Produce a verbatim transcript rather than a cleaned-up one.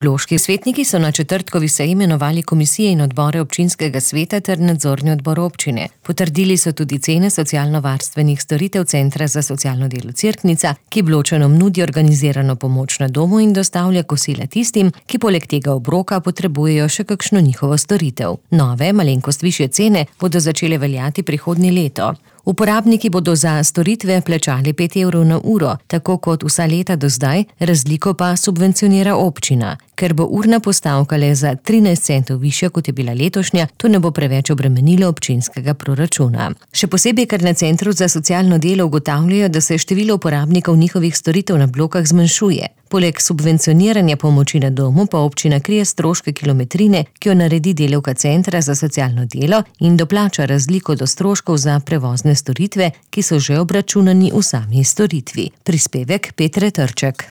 Loški svetniki so na četrtkovi seji imenovali komisije in odbore občinskega sveta ter nadzorni odbor občine. Potrdili so tudi cene socialno-varstvenih storitev Centra za socialno delo Cerknica, ki Bločanom nudi organizirano pomoč na domu in dostavlja kosila tistim, ki poleg tega obroka potrebujejo še kakšno njihovo storitev. Nove, malenkost višje cene bodo začele veljati prihodnje leto. Uporabniki bodo za storitve plačali pet evrov na uro, tako kot vsa leta do zdaj, razliko pa subvencionira občina. Ker bo urna postavka le za trinajst centov višja, kot je bila letošnja, to ne bo preveč obremenilo občinskega proračuna. Še posebej, ker na Centru za socialno delo ugotavljajo, da se število uporabnikov njihovih storitev na blokah zmanjšuje. Poleg subvencioniranja pomoči na domu pa občina krije stroške kilometrine, ki jo naredi delavka Centra za socialno delo in doplača razliko do stroškov za prevozne storitve, ki so že obračunani v sami storitvi. Prispevek Petre Trček.